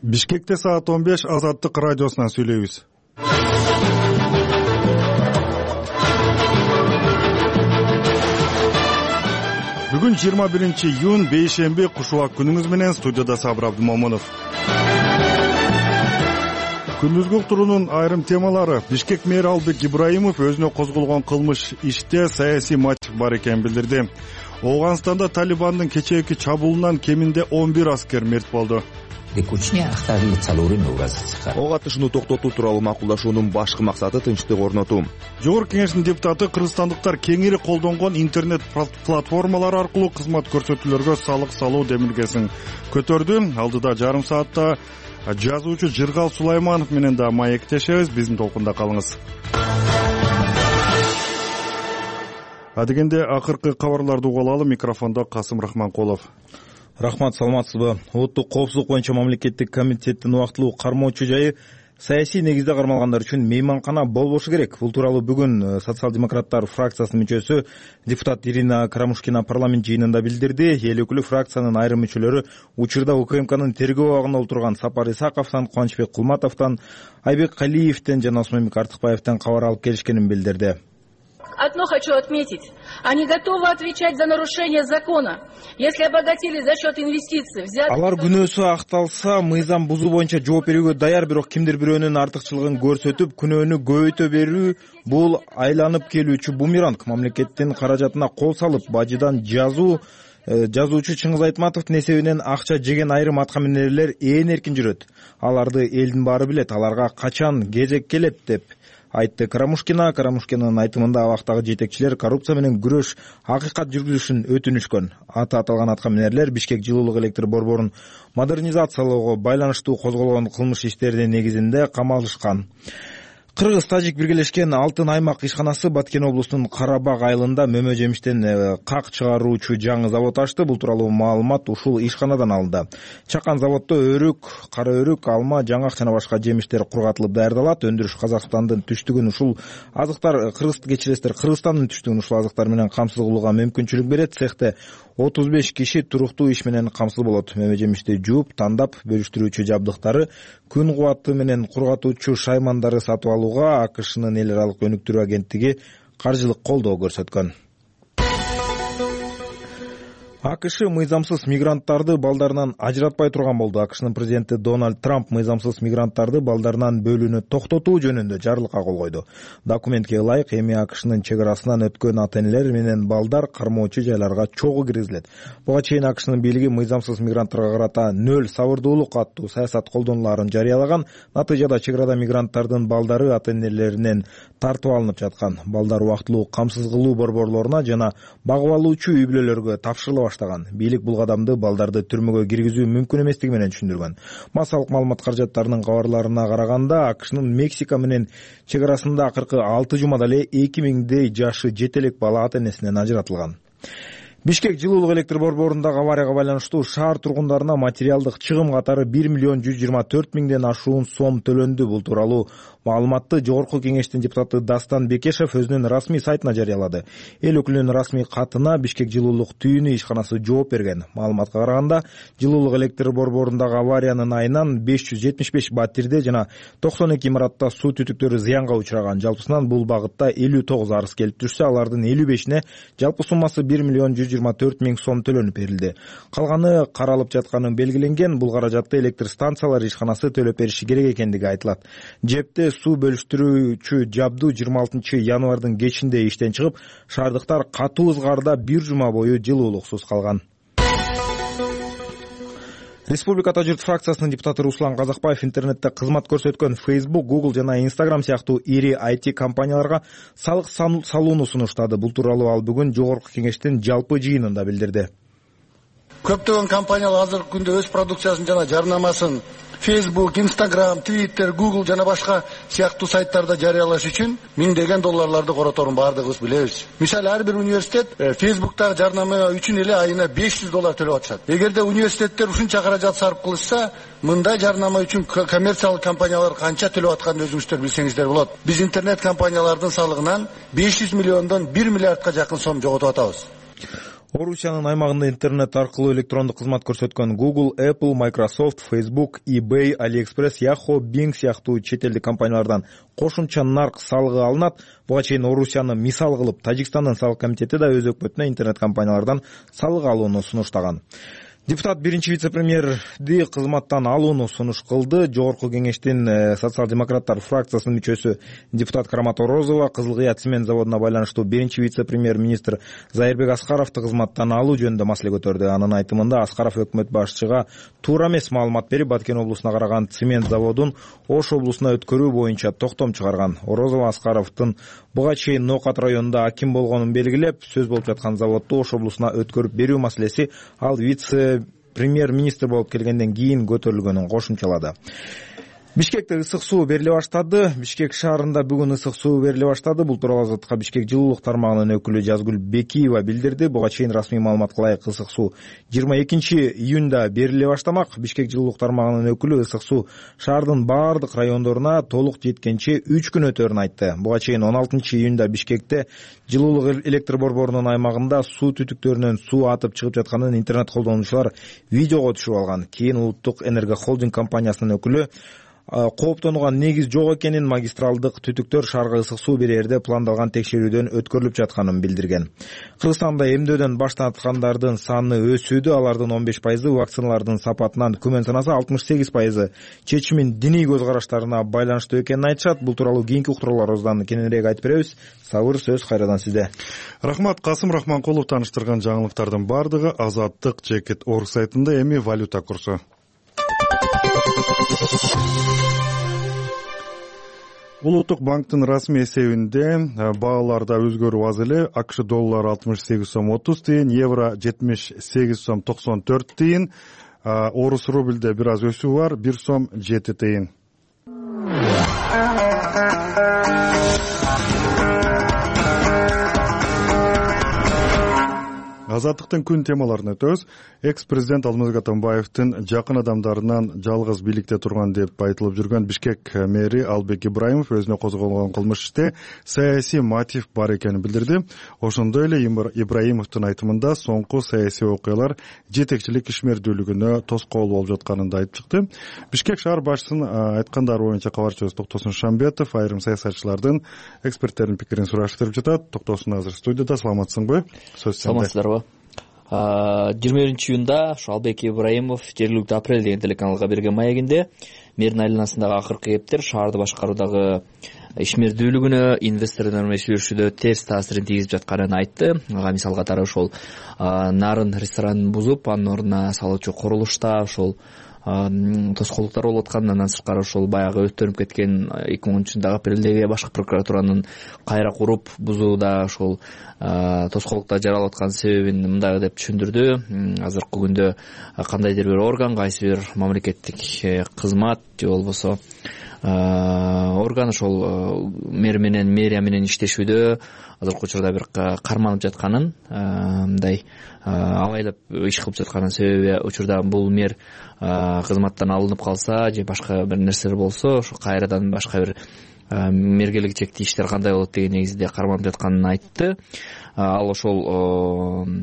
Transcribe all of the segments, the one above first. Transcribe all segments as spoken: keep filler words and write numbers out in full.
Бишкекте саат он беш Азаттык радиосунан сүйлөйбүз. Бүгүн жыйырма биринчи июнь бейшемби, кушубак күнүңүз менен студияда Сабыр Абдымомунов. Күндүзгү уктуруунун айрым темалары. Бишкек мэри Албек Ибраимов өзүнө козголгон кылмыш иште саясий мотив бар экенин билдирди. Ооганстанда Талибандын кечээки чабуулунан кеминде он бир аскер мерт болду. Ого атышууну токтотуу тууралуу макулдашуунун башкы максаты тынчтык орнотуу. Жогорку кеңештин депутаты кыргызстандыктар кеңири колдонгон интернет платформалар аркылуу кызмат көрсөтүүлөргө салык салуу демилгесин көтөрдү. Алдыда жарым саатта жазуучу Жыргал Сулайманов менен да маектешебиз. Биздин толкунда калыңыз. Адегенде акыркы кабарларды угуп алалы. Микрофондо Касым Рахманкулов. Рахмат, саламатсызбы? Улуттук коопсуздук боюнча мамлекеттик комитеттин убактылуу кармоочу жайы саясий негизде кармалгандар үчүн мейманкана болбошу керек. Бул тууралуу бүгүн социал-демократтар фракциясынын мүчөсү депутат Ирина Карамушкина парламент жыйынында билдирди. Эл өкүлү фракциянын айрым мүчөлөрү учурда УКМКнын тергөө абагында отурган Сапар Исаковдон, Кубанычбек Кулматовдон, Айбек Калиевден жана Осмонбек Артыкбаевден кабар алып келишкенин билдирди. Одно хочу отметить. Они готовы отвечать за нарушение закона, если обогатили за счет инвестиций. Алар күнөөсү акталса, мыйзам бузуу боюнча жооп берүүгө даяр, бирок кимдир бирөөнүн артыкчылыгын көрсөтүп, күнөөнү көбөйтө берүү бул айланып келүүчү бумеранг. Мамлекеттин каражатына кол салып, бажыдан жазуу жазуучу Чыңгыз Айтматовдун эсебинен акча жеген айрым аткаминерлер ээн эркин жүрөт. Аларды элдин баары билет. Аларга качан кезек келет деп айтты Карамушкина. Карамушкинанын айтымында абактагы жетекчилер коррупция менен күрөш акыйкат жүргүзүшүн өтүнүшкөн. Аты аталган аткаминерлер Бишкек жылуулук электр борборун модернизациялоого байланыштуу козголгон кылмыш иштеринин негизинде камалышкан. Кыргыз-тажик биргелешкен Алтын аймак ишканасы Баткен облусунун Карабак айылында мөмө жемиштен как чыгаруучу жаңы завод ачты. Бул тууралуу маалымат ушул ишканадан алынды. Чакан заводдо өрүк, кара өрүк, алма, жаңак жана башка жемиштер кургатылып даярдалат. Өндүрүш Казакстандын түштүгүн ушул азыктар Кыргыз кечиресиздер Кыргызстандын түштүгүн ушул азыктар менен камсыз кылууга мүмкүнчүлүк берет. Цехте отуз беш киши туруктуу иш менен камсыз болот. Мөмө жемишти жууп, тандап, бөлүштүрүүчү жабдыктары, күн кубаты менен кургатуучу шаймандары сатып алууга АКШнын эл аралык өнүктүрүү агенттиги каржылык колдоо көрсөткөн. АКШ мыйзамсыз мигранттарды балдарынан ажыратпай турган болду. АКШнын президенти Дональд Трамп мыйзамсыз мигранттарды балдарынан бөлүүнү токтотуу жөнүндө жарлыкка кол койду. Документке ылайык эми АКШнын чек арасынан өткөн ата-энелер менен балдар кармоочу жайларга чогуу киргизилет. Буга чейин АКШнын бийлиги мыйзамсыз мигранттарга карата нөл сабырдуулук аттуу саясат колдонуларын жарыялаган. Натыйжада чек арада мигранттардын балдары ата-энелеринен тартып алынып жаткан. Балдар убактылуу камсыз кылуу борборлоруна жана багып алуучу үй бүлөлөргө тапшырыла баштаган. Бийлик бул кадамды балдарды түрмөгө киргизүү мүмкүн эместиги менен түшүндүргөн. Массалык маалымат каражаттарынын кабарларына караганда, АКШнын Мексика менен чек арасында акыркы алты жумада эле эки миңдей жашы жетелек бала ата-энесинен ажыратылган. Бишкек жылуулук электр борборундагы аварияга байланыштуу шаар тургундарына материалдык чыгым катары бир миллион жүз жыйырма төрт миңден ашуун сом төлөндү. Бул тууралуу маалыматты Жогорку кеңештин депутаты Дастан Бекешев өзүнүн расмий сайтына жарыялады. Эл өкүлүнүн расмий катына Бишкек жылуулук түйүнү ишканасы жооп берген. Маалыматка караганда, жылуулук электр борборундагы авариянын айынан беш жүз жетимиш беш батирде жана токсон эки имаратта суу түтүктөрү зыянга учураган. Жалпысынан бул багытта элүү тогуз арыз келип түшсө, алардын элүү бешине жалпы суммасы бир миллион жүз жыйырма төрт миң сом төлөнүп берилди. Калганы каралып жатканы белгиленген. Бул каражатты электр станциялары ишканасы төлөп бериши керек экендиги айтылат. Жепте суу бөлүштүрүүчү жабдуу жыйырма алтынчы январдын кечинде иштен чыгып, шаардыктар катуу ызгаарда бир жума бою жылуулуксуз калган. Республикада журт фракциясынын депутаты Руслан Казакбаев интернетте кызмат көрсөткөн Facebook, Google жана Instagram сыяктуу ири ай ти компанияларга салык салууну сунуштады. Бул тууралуу ал бүгүн Жогорку кеңештин жалпы жыйынында билдирди. Көптөгөн компаниялар азыркы күндө өз продукциясын жана жарнамасын Facebook, Instagram, Twitter, Google жана башка сыяктуу сайттарда жарыялаш үчүн миңдеген долларларды короторун бардыгыбыз билебиз. Мисалы, ар бир университет Facebook'тагы жарнама үчүн эле айына беш жүз доллар төлөп атышат. Эгерде университеттер ушунча каражат сарп кылышса, мындай жарнама үчүн коммерциялык компаниялар канча төлөп атканын өзүңүздөр билсеңиздер болот. Биз интернет компаниялардын салыгынан беш жүз миллиондон бир миллиардка жакын сом жоготуп атабыз. Орусиянын аймагында интернет аркылуу электрондук кызмат көрсөткөн Google, Apple, Microsoft, Facebook, eBay, AliExpress, Yahoo, Bing сыяктуу чет элдик компаниялардан кошумча нарк салыгы алынат. Буга чейин Орусияны мисал кылып Тажикстандын салык комитети да өз өкмөтүнө интернет компаниялардан салык алууну сунуштаган. Депутат биринчи вице-премьерди кызматтан алууну сунуш кылды. Жогорку кеңештин социал-демократтар фракциясынын мүчөсү депутат Карамат Орозова Кызыл Кыя цемент заводуна байланыштуу биринчи вице-премьер министр Зайырбек Аскаровду кызматтан алуу жөнүндө маселе көтөрдү. Анын айтымында Аскаров өкмөт башчыга туура эмес маалымат берип, Баткен облусуна караган цемент заводун Ош облусуна өткөрүү боюнча токтом чыгарган. Орозова Аскаровдун буга чейин Ноокат районунда аким болгонун белгилеп, сөз болуп жаткан заводду Ош облусуна өткөрүп берүү маселеси ал вице премьер-министр болуп келгенден кийин көтөрүлгөнүн кошумчалады. Бишкекте ысык суу бериле баштады. Бишкек шаарында бүгүн ысык суу бериле баштады. Бул тууралуу Азаттыкка Бишкек жылуулук тармагынын өкүлү Жазгүл Бекиева билдирди. Буга чейин расмий маалыматка ылайык ысык суу жыйырма экинчи июнда бериле баштамак. Бишкек жылуулук тармагынын өкүлү ысык суу шаардын баардык райондоруна толук жеткенче үч күн өтөрүн айтты. Буга чейин он алтынчы июнда Бишкекте жылуулук электр борборунун аймагында суу түтүктөрүнөн суу атып чыгып жатканын интернет колдонуучулар видеого түшүрүп алган. Кийин Улуттук энерго холдинг компаниясынын өкүлү кооптонууга негиз жок экенин, магистралдык түтүктөр шаарга ысык суу берерде пландалган текшерүүдөн өткөрүлүп жатканын билдирген. Кыргызстанда эмдөөдөн баш тарткандардын саны өсүүдө. Алардын он беш пайызы вакциналардын сапатынан күмөн санаса, алтымыш сегиз пайызы чечимин диний көз караштарына байланыштуу экенин айтышат. Бул тууралуу кийинки уктурууларыбыздан кененирээк айтып беребиз. Сабыр, сөз кайрадан сизде. Рахмат. Касым Рахманкулов таныштырган жаңылыктардын баардыгы Азаттык Жекет Орг сайтында. Эми валюта курсу. Улуттук банктын расмий эсебинде бааларда өзгөрүү аз эле. АКШ доллары алтымыш сегиз сом отуз тыйын, евро жетимиш сегиз сом токсон төрт тыйын, орус рубльде бир аз өсүү бар, бир сом жети тыйын. Азаттыктын күн темаларын өтөбүз. Экс-президент Алмазбек Атамбаевдин жакын адамдарынан жалгыз бийликте турган деп айтылып жүргөн Бишкек мэри Албек Ибраимов өзүнө козголгон кылмыш иште саясий мотив бар экенин билдирди. Ошондой эле Ибраимовдун айтымында соңку саясий окуялар жетекчилик ишмердүүлүгүнө тоскоол болуп жатканын да айтып чыкты. Бишкек шаар башчысынын айткандары боюнча кабарчыбыз Токтосун Шамбетов айрым саясатчылардын, эксперттердин пикирин сураштырып жатат. Токтосун азыр студияда. Саламатсыңбы? Сөз сенде. Саламатсыздарбы? жыйырма биринчи июнда Албек Ибраимов жергиликтүү Апрель деген телеканалга берген маегинде мэрдин айланасындагы акыркы кептер шаарды башкаруудагы ишмердүүлүгүнө, инвесторлор менен сүйлөшүүдө терс таасирин тийгизип жатканын айтты. Ага мисал катары ошол нарын ресторанын бузуп, анын ордуна салуучу курулушта ошол тоскоолдуктар болуп аткан. Андан сырткары ошол баягы өттөнүп кеткен эки миң онунчу жылдагы апрелдеги башкы прокуратуранын кайра куруп бузууда ошол тоскоолдуктар жаралып аткан себебин мындай деп түшүндүрдү. Азыркы күндө кандайдыр бир орган, кайсы бир мамлекеттик кызмат же болбосо орган ошол мэр менен, мэрия менен иштешүүдө азыркы учурда бир карманып жатканын, мындай абайлап иш кылып жатканын себеби учурда бул мэр кызматтан алынып калса же башка бир нерселер болсо ошо кайрадан башка бир мэрге келечекте иштер кандай болот деген негизде карманып жатканын айтты. Ал ошол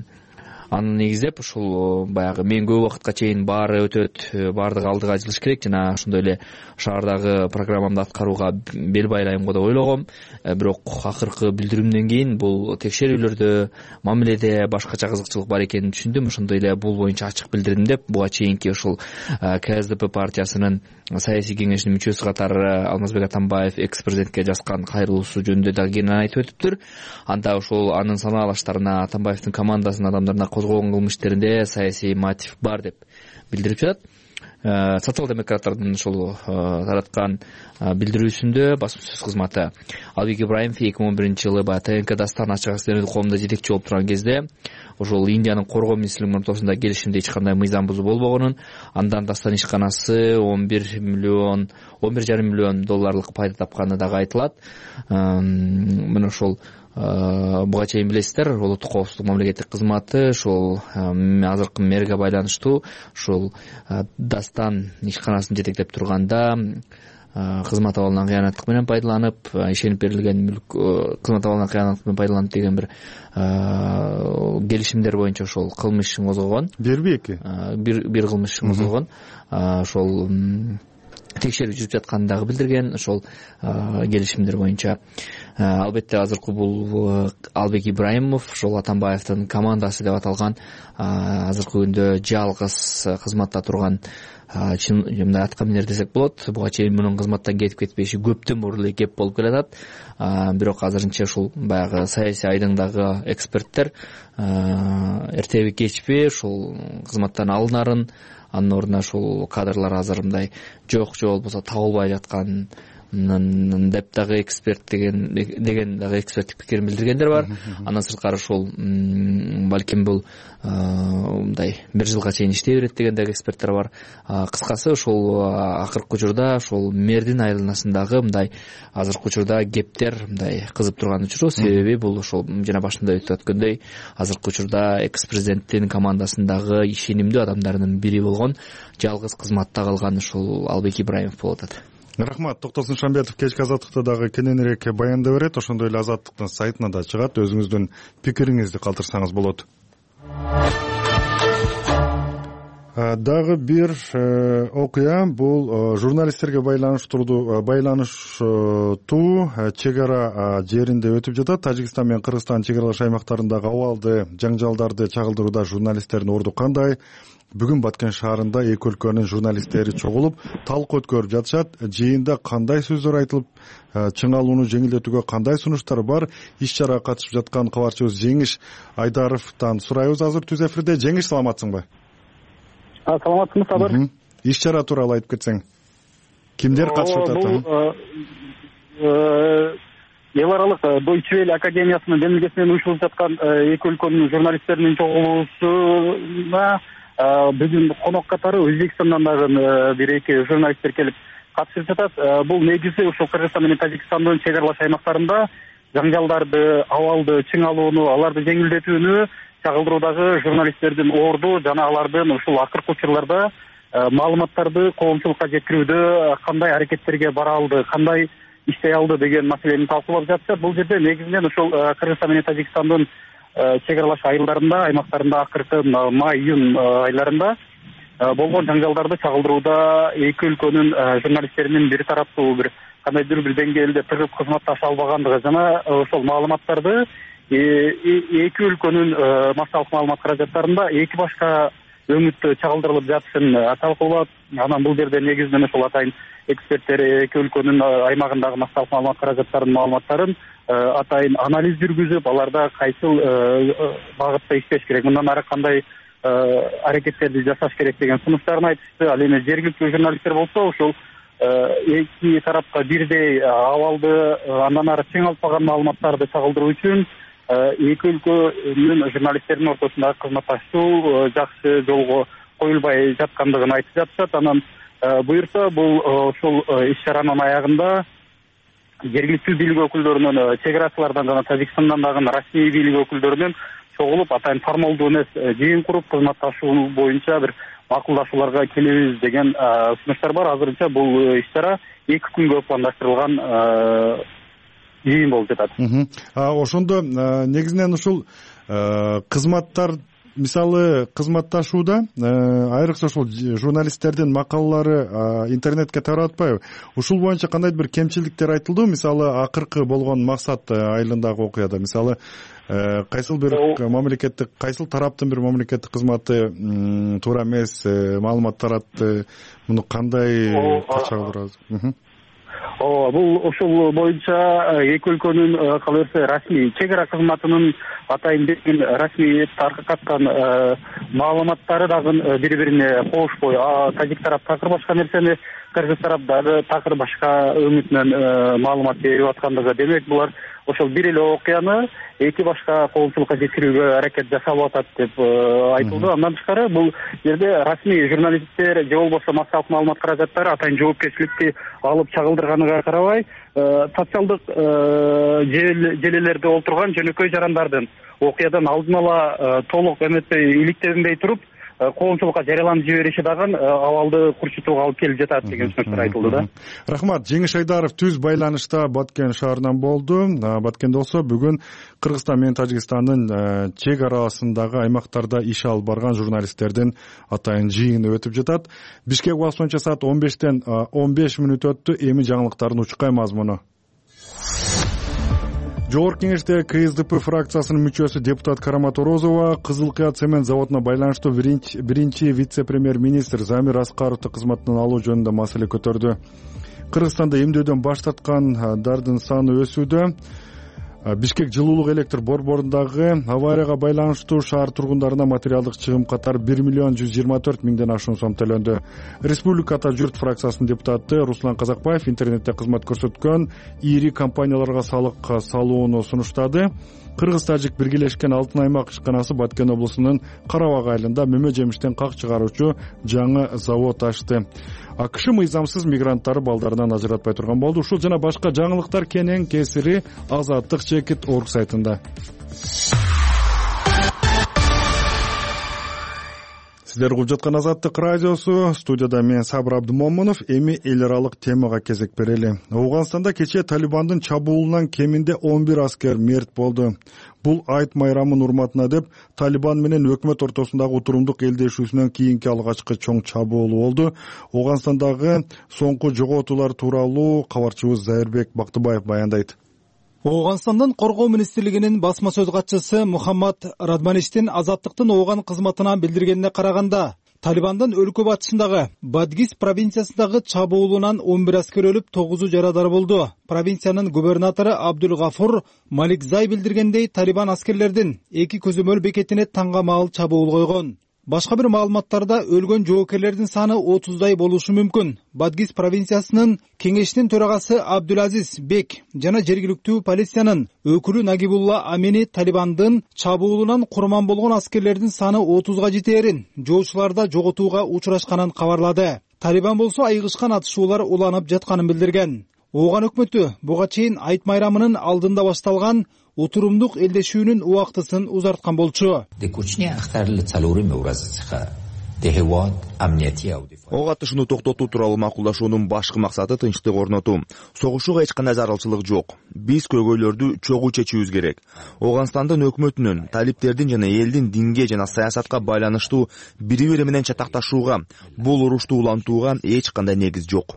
аны негиздеп ушул баягы мен көп убакытка чейин баары өтөт, баардыгы алдыга жылыш керек, жана ошондой эле шаардагы программамды аткарууга бел байлайм го деп ойлогом. Бирок акыркы билдирүүмдөн кийин бул текшерүүлөрдө, мамиледе башкача кызыкчылык бар экенин түшүндүм. Ошондой эле бул боюнча ачык билдирдим деп буга чейинки ушул КСДП партиясынын саясий кеңешинин мүчөсү катары Алмазбек Атамбаев экс-президентке жазган кайрылуусу жөнүндө да кеңири айтып өтүптүр. Анда ошол анын санаалаштарына, Атамбаевдин командасынын адамдарына козголгон кылмыш иштеринде саясий мотив бар деп билдирип жатат. Социал-демократтардын ушул тараткан билдирүүсүндө басма сөз кызматы Албек Ибраимов эки миң он биринчи жылы ТНК Дастан ачык акционердик коомунда жетекчи болуп турган кезде ошол Индиянын коргоо министрлигинин ортосунда келишимде эч кандай мыйзам бузуу болбогонун, андан Дастан ишканасы он бир миллион, он бир жарым миллион долларлык пайда тапканы дагы айтылат. Мына ошол буга чейин билесиздер, улуттук коопсуздук мамлекеттик кызматы ошол азыркы мэрге байланыштуу ошол Дастан ишканасын жетектеп турганда кызмат абалынан кыянаттык менен пайдаланып, ишенип берилген мүлк кызмат абалынан кыянаттык менен пайдаланып деген бир келишимдер боюнча ошол кылмыш ишин козгогон. Бирби эки? Бир бир кылмыш ишин козгогон. Ошол текшерүү жүрүп жатканын дагы билдирген. Ошол келишимдер боюнча албетте азыркы бул Албек Ибраимов, ошол Атамбаевдин командасы деп аталган, азыркы күндө жалгыз кызматта турган чын мындай аткаминер десек болот. Буга чейин мунун кызматтан кетип кетпеши көптөн мурун эле кеп болуп келатат. Бирок азырынча ушул баягы саясий айдыңдагы эксперттер эртеби кечпи ушул кызматтан алынарын, анын ордуна ушул кадрлар азыр мындай жок же болбосо табылбай жаткан деп дагы эксперт деген деген дагы эксперттик пикирин билдиргендер бар. Андан сырткары ушул балким бул мындай бир жылга чейин иштей берет деген дагы эксперттер бар. Кыскасы ушул акыркы учурда ушул мэрдин айланасындагы мындай азыркы учурда кептер мындай кызып турган учуру. Себеби бул ошол жана башында өтүп өткөндөй азыркы учурда экс президенттин командасындагы ишенимдүү адамдарынын бири болгон жалгыз кызматта калган ушул Албек Ибраимов болуп атат. Рахмат. Токтосун Шамбетов кечки Азаттыкта дагы кененирээк баяндап берет. Ошондой эле Азаттыктын сайтына да чыгат. Өзүңүздүн пикириңизди калтырсаңыз болот. Дагы бир окуя бул журналисттерге байланыштуу байланыштуу чек ара жеринде өтүп жатат. Тажикстан менен Кыргызстан чек аралаш аймактарындагы абалды жаңжалдарды чагылдырууда журналисттердин орду кандай? Бүгүн Баткен шаарында эки өлкөнүн журналисттери чогулуп, талкуу өткөрүп жатышат. Жыйында кандай сөздөр айтылып, чыңалууну жеңилдетүүгө кандай сунуштар бар? Иш-чарага катышып жаткан кабарчыбыз Жеңиш Айдаровдон сурайбыз. Азыр түз эфирде. Жеңиш, саламатсыңбы? Саламатсызбы, Сабыр? Иш-чара тууралуу айтып кетсең. Кимдер катышып жатат? Эл аралык Deutsche Welle академиясынын демилгеси менен уюштурулуп жаткан эки өлкөнүн журналисттеринин чогулуусуна бүгүн конок катары Өзбекстандан дагы бир эки журналисттер келип катышып жатат. Бул негизи ушул Кыргызстан менен Тажикстандын чек аралаш аймактарында жаңжалдарды, абалды чыңалууну, аларды жеңилдетүүнү чагылдыруудагы журналисттердин орду жана алардын ушул акыркы учурларда маалыматтарды коомчулукка жеткирүүдө кандай аракеттерге бара алды, кандай иштей алды деген маселени талкуулап жатышат. Бул жерде негизинен ушул Кыргызстан менен Тажикстандын чек аралаш айылдарында, аймактарында акыркы май-июнь айларында болгон жаңжалдарды чагылдырууда эки өлкөнүн журналисттеринин бир тараптуу бир кандайдыр бир деңгээлде тыгыз кызматташа албагандыгы жана ошол маалыматтарды эки өлкөнүн массалык маалымат каражаттарында эки башка өңүттө чагылдырылып жатышын талкуулап, анан бул жерде негизинен ошол атайын эксперттер эки өлкөнүн аймагындагы массалык маалымат каражаттарынын маалыматтарын атайын анализ жүргүзүп, аларда кайсыл багытта иштеш керек, мындан ары кандай аракеттерди жасаш керек деген сунуштарын айтышты. Ал эми жергиликтүү журналисттер болсо ушул эки тарапка бирдей абалды андан ары чыңалтпаган маалыматтарды чагылдыруу үчүн эки өлкөнүн журналисттеринин ортосундагы кызматташуу жакшы жолго коюлбай жаткандыгын айтып жатышат. Анан буюрса бул ушул иш-чаранын аягында жергиликтүү бийлик өкүлдөрүнүн, чек арачылардан жана Тажикстандан дагы расмий бийлик өкүлдөрүнүн чогулуп атайын формалдуу эмес жыйын куруп кызматташуу боюнча бир макулдашууларга келебиз деген сунуштар бар. Азырынча бул иш-чара эки күнгө пландаштырылган жыйын болуп жатат. Ошондо негизинен ушул кызматтар, мисалы кызматташууда айрыкча ушул журналисттердин макалалары интернетке тарап атпайбы? Ушул боюнча кандайдыр бир кемчиликтер айтылды? Мисалы акыркы болгон максат айылындагы окуяда, мисалы кайсыл бир мамлекеттик, кайсыл тараптын бир мамлекеттик кызматы туура эмес маалымат таратты, муну кандай чагылдырабыз? Ооба, бул ушул боюнча эки өлкөнүн кала берсе расмий чек ара кызматынын атайын берген расмий таркаткан маалыматтары дагы бири бирине кошпой, тажик тарап такыр башка нерсени, кыргыз тарап дагы такыр башка өңүтүнөн маалымат берип аткандыгы. Демек булар ошол бир эле окуяны эки башка коомчулукка жеткирүүгө аракет жасап атат деп айтылды. Андан тышкары бул жерде расмий журналисттер же болбосо массалык маалымат каражаттары атайын жоопкерчиликти алып чагылдырганына карабай, социалдык желелерде олтурган жөнөкөй жарандардын окуядан алдын ала толук эметпей иликтенбей туруп, коомчулукка жарыяланып жибериши дагы абалды курчутууга алып келип жатат деген сөздөр айтылды да. Рахмат. Жеңиш Айдаров түз байланышта Баткен шаарынан болду. Баткенде болсо бүгүн Кыргызстан менен Тажикстандын чек арасындагы аймактарда иш алып барган журналисттердин атайын жыйыны өтүп жатат. Бишкек убакыты боюнча саат он бештен он беш мүнөт өттү. Эми жаңылыктардын учкай мазмуну. Жогорку Кеңеште КСДП фракциясынын мүчөсү депутат Карамат Орозова Кызыл Кыя цемент заводуна байланыштуу биринчи вице-премьер-министр Замир Аскаровду кызматынан алуу жөнүндө маселе көтөрдү. Кыргызстанда эмдөөдөн баш тарткандардын саны өсүүдө. Бишкек жылуулук электр борборундагы аварияга байланыштуу шаар тургундарына материалдык чыгым катары бир миллион жүз жыйырма төрт миңден ашуун сом төлөндү. Республикада журт фракциясынын депутаты Руслан Казакбаев интернетте кызмат көрсөткөн ири компанияларга салык салууну сунуштады. Кыргыз-Тажик биргелешкен Алтын аймак ишканасы Баткен облусунун Карабак айылында мөмө жемиштен как чыгаруучу жаңы завод ачты. АКШ мыйзамсыз мигранттары балдарынан ажыратпай турган болду. Ушул жана башка жаңылыктар кенен кесири Азаттык чекит орг сайтында. Сиздер угуп жаткан Азаттык радиосу, студияда мен Сабыр Абдымомунов. Эми эл аралык темага кезек берели. Ооганстанда кечээ Талибандын чабуулунан кеминде он бир аскер мерт болду. Бул айт майрамынын урматына деп Талибан менен өкмөт ортосундагы утурумдук элдешүүсүнөн кийинки алгачкы чоң чабуул болду. Ооганстандагы соңку жоготуулар тууралуу кабарчыбыз Зайырбек Бактыбаев баяндайт. Ооганстандын коргоо министрлигинин басма сөз катчысы Мухаммад Радмаништин Азаттыктын Ооган кызматына билдиргенине караганда, Талибандын өлкө батышындагы Бадгис провинциясындагы чабуулунан он бир аскер өлүп, тогузу жарадар болду. Провинциянын губернатору Абдул Гафур Маликзай билдиргендей, Талибан аскерлердин эки көзөмөл бекетине таңга маал чабуул койгон. Башка бир маалыматтарда өлгөн жоокерлердин саны отуздай болушу мүмкүн. Бадгис провинциясынын кеңешинин төрагасы Абдулазиз Бек жана жергиликтүү полициянын өкүлү Нагибулла Амини Талибандын чабуулунан курман болгон аскерлердин саны отузга жетээрин, жоочуларда жоготууга учурашканын кабарлады. Талибан болсо айыгышкан атышуулар уланып жатканын билдирген. Ооган өкмөтү буга чейин айт майрамынын алдында башталган утурумдук элдешүүнүн убактысын узарткан болчу. Ого атышууну токтотуу тууралуу макулдашуунун башкы максаты тынчтык орнотуу. Согушууга эч кандай зарылчылык жок. Биз көйгөйлөрдү чогуу чечүүбүз керек. Ооганстандын өкмөтүнүн, талиптердин жана элдин динге жана саясатка байланыштуу бири-бири менен чатакташууга, бул урушту улантууга эч кандай негиз жок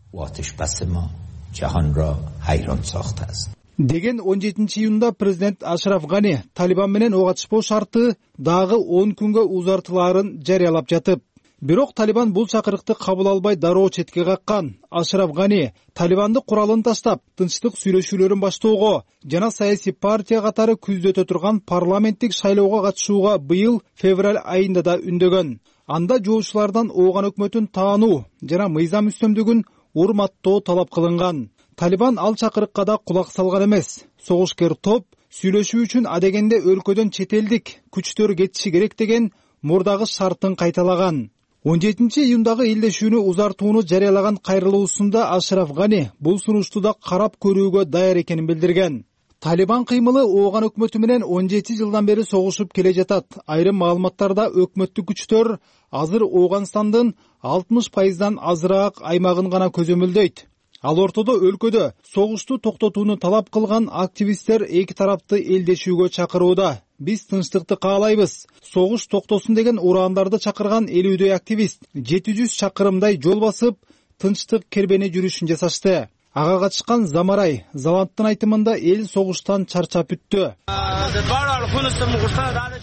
деген он жетинчи июнда президент Ашраф Гани Талибан менен ок атышпоо шарты дагы он күнгө узартылаарын жарыялап жатып, бирок Талибан бул чакырыкты кабыл албай дароо четке каккан. Ашраф Гани Талибанды куралын таштап, тынчтык сүйлөшүүлөрүн баштоого жана саясий партия катары күздө өтө турган парламенттик шайлоого катышууга быйыл февраль айында да үндөгөн. Анда жоочулардан Ооган өкмөтүн таануу жана мыйзам үстөмдүгүн урматтоо талап кылынган. Талибан ал чакырыкка да кулак салган эмес. Согушкер топ сүйлөшүү үчүн адегенде өлкөдөн чет элдик күчтөр кетиши керек деген мурдагы шартын кайталаган. он жетинчи июндагы элдешүүнү узартууну жарыялаган кайрылуусунда Ашраф Гани бул сунушту да карап көрүүгө даяр экенин билдирген. Талибан кыймылы Ооган өкмөтү менен он жети жылдан бери согушуп келе жатат. Айрым маалыматтарда өкмөттүк күчтөр азыр Ооганстандын алтымыш пайыздан азыраак аймагын гана көзөмөлдөйт. Ал ортодо өлкөдө согушту токтотууну талап кылган активисттер эки тарапты элдешүүгө чакырууда. Биз тынчтыкты каалайбыз. Согуш токтосун деген ураандарды чакырган элүүдөй активист жети жүз чакырымдай жол басып, тынчтык кербени жүрүшүн жасашты. Ага катышкан Замарай Заландтын айтымында эл согуштан чарчап бүттү.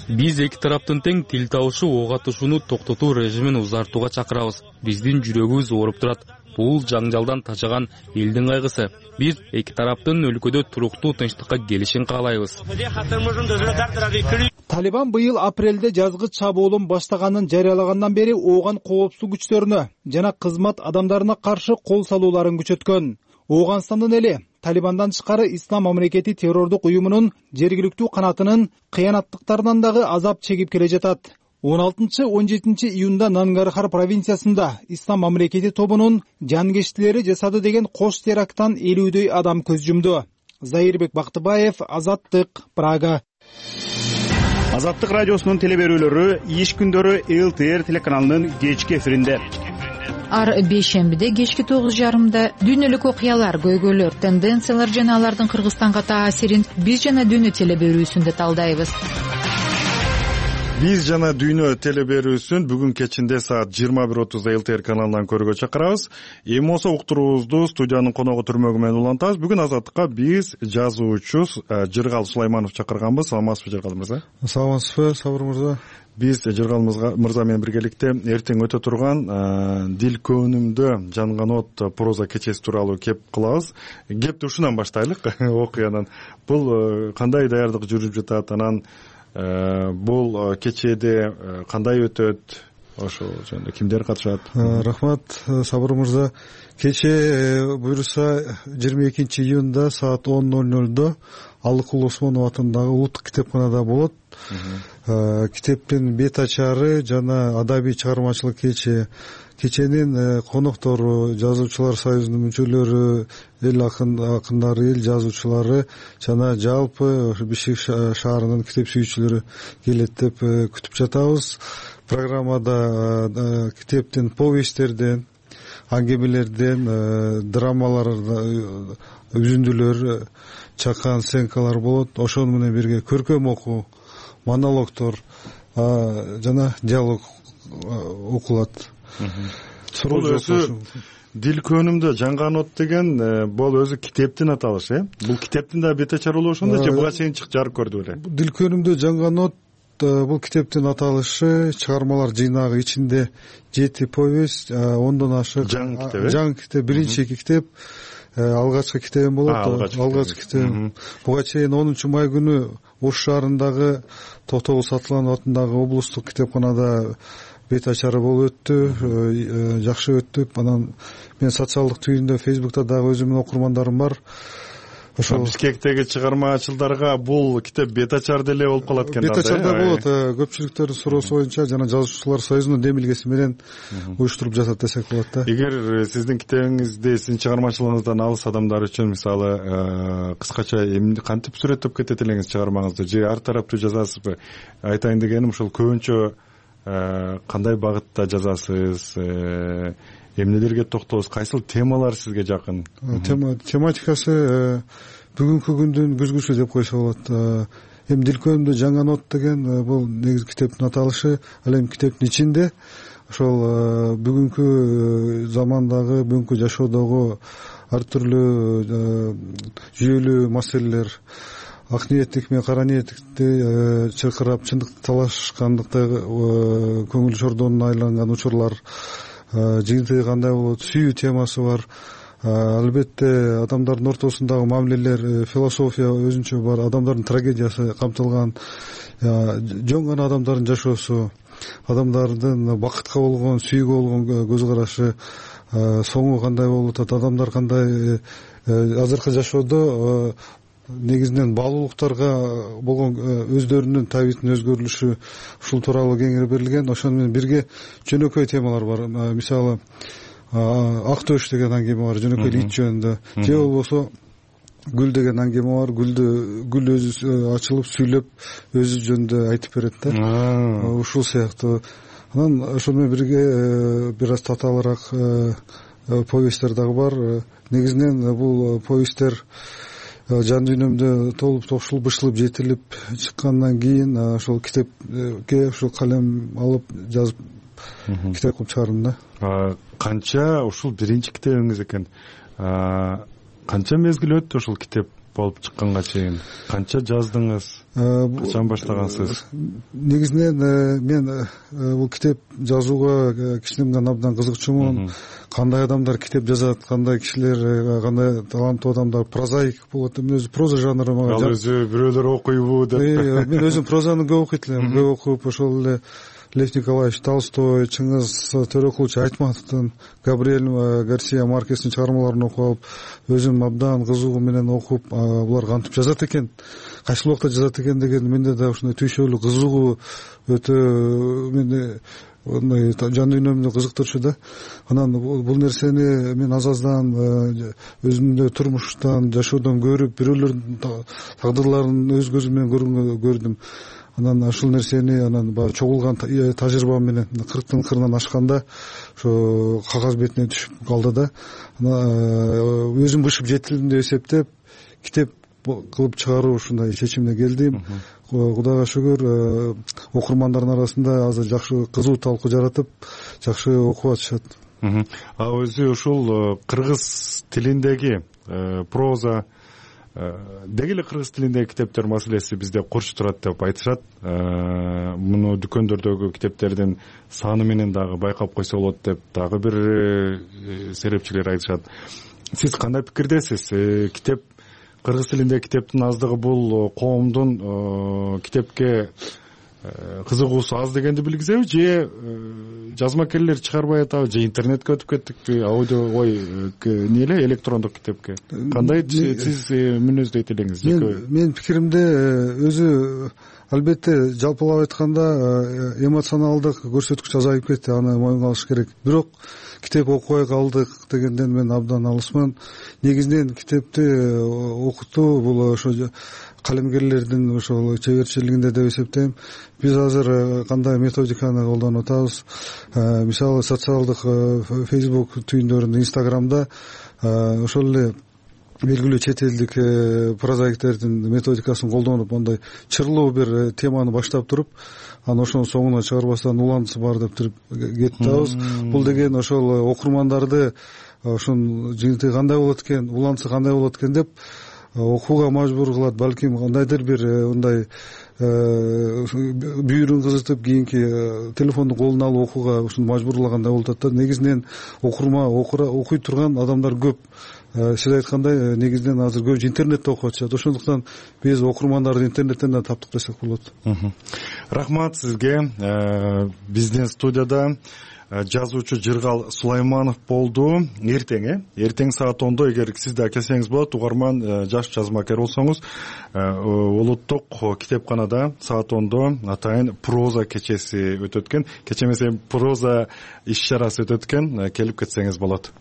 Биз эки тараптын тең тил табышы ок атышууну токтотуу режимин узартууга чакырабыз. Биздин жүрөгүбүз ооруп турат. Бул жаңжалдан тажаган элдин кайгысы. Биз эки тараптын өлкөдө туруктуу тынчтыкка келишин каалайбыз. Талибан быйыл апрелде жазгы чабуулун баштаганын жарыялагандан бери Ооган коопсуздук күчтөрүнө жана кызмат адамдарына каршы кол салууларын күчөткөн. Ооганстандын эли Талибандан тышкары Ислам мамлекети террордук уюмунун жергиликтүү канатынын кыянаттыктарынан дагы азап чегип келе жатат. он алтынчы он жетинчи июнда Нангархар провинциясында Ислам мамлекети тобунун жанкештилери жасады деген кош теракттан элүүдөй адам көз жумду. Зайырбек Бактыбаев, Азаттык, Прага. Азаттык радиосунун теле берүүлөрү иш күндөрү эл ти эр телеканалынын кечки эфиринде. Ар бейшембиде кечки тогуз жарымда дүйнөлүк окуялар, көйгөйлөр, тенденциялар жана алардын Кыргызстанга таасирин биз жана дүйнө теле берүүсүндө талдайбыз. Биз жана дүйнө теле берүүсүн бүгүн кечинде саат жыйырма бир отузда эл ти эр каналынан көрүүгө чакырабыз. Эми болсо уктуруубузду студиянын коногу түрмөгү менен улантабыз. Бүгүн Азаттыкка биз жазуучу Жыргал Сулайманов чакырганбыз. Саламатсызбы Жыргал мырза? Саламатсызбы Сабыр мырза? Биз Жыргал мырза менен биргеликте эртең өтө турган Дил көөнүмдө жанган от проза кечеси тууралуу кеп кылабыз. Кепти ушунан баштайлык окуянан. Бул кандай даярдык жүрүп жатат, анан бул кечеде кандай өтөт, ошол жөнүндө кимдер катышат? Рахмат Сабыр мырза. Кече буюрса жыйырма экинчи июнда саат он ноль нольдо Алыкул Осмонов атындагы улуттук китепканада болот. Китептин бет ачары жана адабий чыгармачылык кече. Кеченин коноктору, жазуучулар союзунун мүчөлөрү, эл акындары, эл жазуучулары жана жалпы Бишкек шаарынын китеп сүйүүчүлөрү келет деп күтүп жатабыз. Программада китептин повесттерден, аңгемелерден, драмалардан үзүндүлөр, чакан сценкалар болот. Ошону менен бирге көркөм окуу, монологдор жана диалог окулат. Бул өзү Дил көөнүмдө жанган от деген бул өзү китептин аталышы, э? Бул китептин да бет ачары болуп ошондо же буга чейин жарык көрдү беле? Дил көөнүмдө жанган от бул китептин аталышы, чыгармалар жыйнагы, ичинде жети повесть, ондон ашык жаңы китеп. Жаңы китеп, биринчи китеп, алгачкы китебим болот. Алгачкы китебим. Буга чейин онунчу май күнү Ош шаарындагы Токтогул Сатыланов атындагы облустук китепканада бет ачары болуп өттү, жакшы өттү. Анан мен социалдык түйүндө Фейсбукта дагы өзүмдүн окурмандарым бар. Ошол Бишкектеги чыгармачылдарга бул китеп бет ачар деле болуп калат экен да. Бет ачарда болот. Көпчүлүктөрдүн суроосу боюнча жана жазуучулар союзунун демилгеси менен уюштуруп жатат десек болот да. Эгер сиздин китебиңизди, сиздин чыгармачылыгыңыздан алыс адамдар үчүн мисалы кыскача эмне кантип сүрөттөп кетет элеңиз чыгармаңызды, же ар тараптуу жазасызбы? Айтайын дегеним ушул көбүнчө кандай багытта жазасыз, эмнелерге токтолосуз, кайсыл темалар сизге жакын? Тематикасы бүгүнкү күндүн күзгүсү деп койсо болот. Эми Дил көөнүмдө жанган от деген бул негизи китептин аталышы. Ал эми китептин ичинде ошол бүгүнкү замандагы, бүгүнкү жашоодогу ар түрлүү жүйөлүү маселелер, ак ниеттик менен кара ниеттикти чыркырап чындыкты талашкандыкты көңүл чордонуна айланган учурлар, жыйынтыгы кандай болот, сүйүү темасы бар. Албетте адамдардын ортосундагы мамилелер, философия өзүнчө бар, адамдардын трагедиясы камтылган, жөн гана адамдардын жашоосу, адамдардын бакытка болгон, сүйүүгө болгон көз карашы, соңу кандай болуп атат, адамдар кандай азыркы жашоодо негизинен баалуулуктарга болгон өздөрүнүн табитинин өзгөрүлүшү, ушул тууралуу кеңири берилген. Ошону менен бирге жөнөкөй темалар бар. Мисалы Ак төш деген аңгеме бар, жөнөкөй ит жөнүндө. Же болбосо Гүл деген аңгеме бар, гүлдү гүл өзү ачылып сүйлөп өзү жөнүндө айтып берет да. Ушул сыяктуу. Анан ошону менен бирге бир аз татаалыраак повесттер дагы бар. Негизинен бул повесттер жан дүйнөмдө толуп топшулуп, бышылып, жетилип чыккандан кийин ошол китепке ушул калем алып жазып китеп кылып чыгардым да. Канча ушул биринчи китебиңиз экен. Канча мезгил өттү ушул китеп болуп чыкканга чейин? Канча жаздыңыз? Качан баштагансыз? Негизинен мен бул китеп жазууга кичинемден абдан кызыкчумун. Кандай адамдар китеп жазат, кандай кишилер, кандай таланттуу адамдар, прозаик болот. Мен өзү проза жанры мага. Ал өзү бирөөлөр окуйбу деп. Мен өзүм прозаны көп окуйт элем, көп окуп, ошол эле Лев Николаевич Толстой, Чыңгыз Төрөкулович Айтматовдун, Габриэль Гарсия Маркестин чыгармаларын окуп алып, өзүм абдан кызыгуу менен окуп, булар кантип жазат экен, кайсыл убакта жазат экен деген менде да ушундай түйшөлүү кызыгуу өтө менде мындай жан дүйнөмдү кызыктырчу да. Анан бул нерсени мен аз аздан өзүмдө турмуштан, жашоодон көрүп, бирөөлөрдүн тагдырларын өз көзүм менен көргөнгө көрдүм. анан ушул нерсени анан баягы чогулган тажрыйба менен кырктын кырынан ашканда ошо кагаз бетине түшүп калды да өзүм бышып жетилдим деп эсептеп китеп кылып чыгаруу ушундай чечимине келдим. Кудайга шүгүр окурмандардын арасында азыр жакшы кызуу талкуу жаратып жакшы окуп атышат. А өзү ушул кыргыз тилиндеги проза деги эле кыргыз тилиндеги китептер маселеси бизде курч турат деп айтышат. Муну дүкөндөрдөгү китептердин саны менен дагы байкап койсо болот деп дагы бир серепчилер айтышат. Сиз кандай пикирдесиз? Китеп кыргыз тилиндеги китептин аздыгы бул коомдун китепке кызыгуусу аз дегенди билгизеби, же жазмакерлер чыгарбай атабы, же интернетке өтүп кеттикпи, аудио ой эмне эле электрондук китепке? Кандай сиз мүнөздөйт элеңиз? Менин пикиримде өзү албетте жалпылап айтканда эмоционалдык көрсөткүч азайып кетти, аны моюнга алыш керек. Бирок китеп окубай калдык дегенден мен абдан алысман. Негизинен китепти окутуу бул ошо калемгерлердин ошол чеберчилигинде деп эсептейм. Биз азыр кандай методиканы колдонуп атабыз? Мисалы социалдык Facebook түйүндөрүндө, Инстаграмда ошол эле белгилүү чет элдик прозаиктердин методикасын колдонуп, андай чырлуу бир теманы баштап туруп, анан ошонун соңуна чыгарбастан уланысы бар деп туруп кетип атабыз. Бул деген ошол окурмандарды ошонун жыйынтыгы кандай болот экен, уланысы кандай болот экен деп окууга мажбур кылат. Балким кандайдыр бир мындай бүйүрүн кызытып кийинки телефонду колуна алып окууга ушуну мажбурлагандай болуп атат да. Негизинен окурма окуй турган адамдар көп. Сиз айткандай негизинен азыр көп интернетте окуп атышат. Ошондуктан биз окурмандарды интернеттен да таптык десек болот. Рахмат сизге. Биздин студияда жазуучу Жыргал Сулайманов болду. Эртең э эртең саат ондо эгер сиз да келсеңиз болот, угарман жаш жазмакер болсоңуз, улуттук китепканада саат ондо атайын проза кечеси өтөт экен. Кече эмес, проза иш-чарасы өтөт экен. Келип кетсеңиз болот.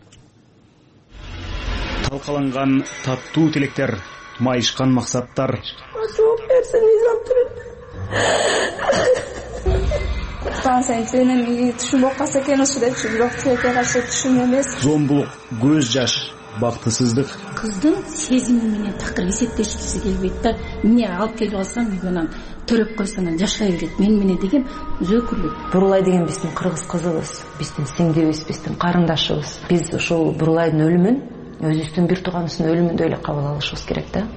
Талкаланган таттуу тилектер, майышкан максаттар. Станция сенин түшүнүп калса экен ошо депчи, бирок тилекке каршы түшүм эмес. Зомбулук, көз жаш, бактысыздык. Кыздын сезими менен такыр эсептешкиси келбейт да. Эмне алып келип алсам, үйгөнөн төрөп койсо анан жашай берет. Мен менен деген өзөкүлүк. Бурулай деген биздин кыргыз кызыбыз, биздин сиңдибиз, биздин карындашыбыз. Биз ошол Бурулайдын өлүмүн өзүбүздүн бир тууганыбыздын өлүмүндөй эле кабыл алышыбыз керек да.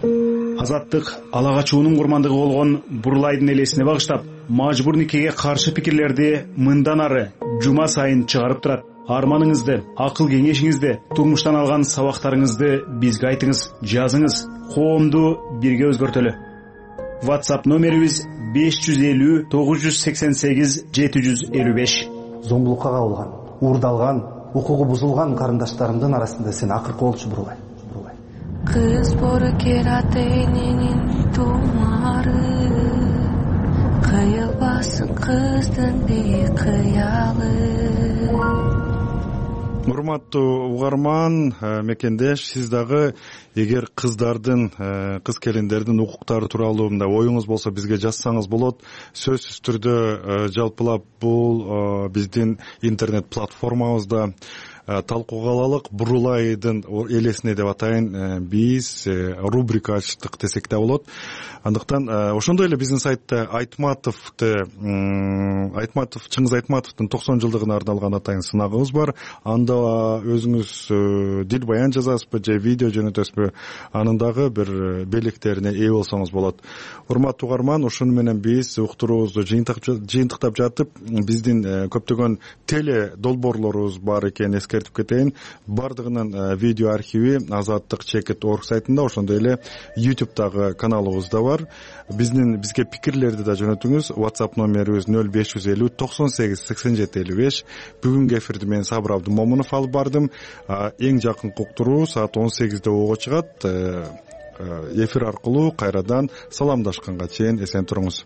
Азаттык ала качуунун курмандыгы болгон Бурулайдын элесине багыштап, мажбур никеге каршы пикирлерди мындан ары жума сайын чыгарып турат. Арманыңызды, акыл кеңешиңизди, турмуштан алган сабактарыңызды бизге айтыңыз, жазыңыз. Коомду бирге өзгөртөлү. WhatsApp номерибиз беш жүз элүү тогуз жүз сексен сегиз жети жүз элүү беш. Зомбулукка кабылган, уурдалган, укугу бузулган карындаштарымдын арасында сен акыркы болчу Бурулай. Kız borker eninin tumarı, kıyılbasın kızdın bir kıyalı. Урматтуу угарман, мекендеш, сиз дагы эгер кыздардын, кыз келиндердин укуктары тууралуу мындай оюңуз болсо бизге жазсаңыз болот. Сөзсүз түрдө жалпылап бул биздин интернет платформабызда талкууга алалык. Бурулайдын элесине деп атайын биз рубрика ачтык десек да болот. Андыктан ошондой эле биздин сайтта Айтматовду Айтматов Чыңгыз Айтматовдун токсон жылдыгына арналган атайын сынагыбыз бар. Анда өзүңүз дил баян жазасызбы же видео жөнөтөсүзбү, анын дагы бир белектерине ээ болсоңуз болот. Урматтуу угарман, ушуну менен биз уктуруубузду жыйынтыктап жатып, биздин көптөгөн теле долбоорлорубуз бар экенин эскертип кетейин. Бардыгынын видео архиви азаттык чекит точка орг сайтында, ошондой эле YouTube'дагы каналыбызда бар. Биздин бизге пикирлерди да жөнөтүңүз. WhatsApp номерибиз нөл беш жүз элүү токсон сегиз сексен жети элүү беш. Бүгүнкү эфирди мен Сабыр Абдымомунов алып бардым. Эң жакынкы уктуруу саат он сегизде ого чыгат. Эфир аркылуу кайрадан саламдашканга чейин эсен туруңуз.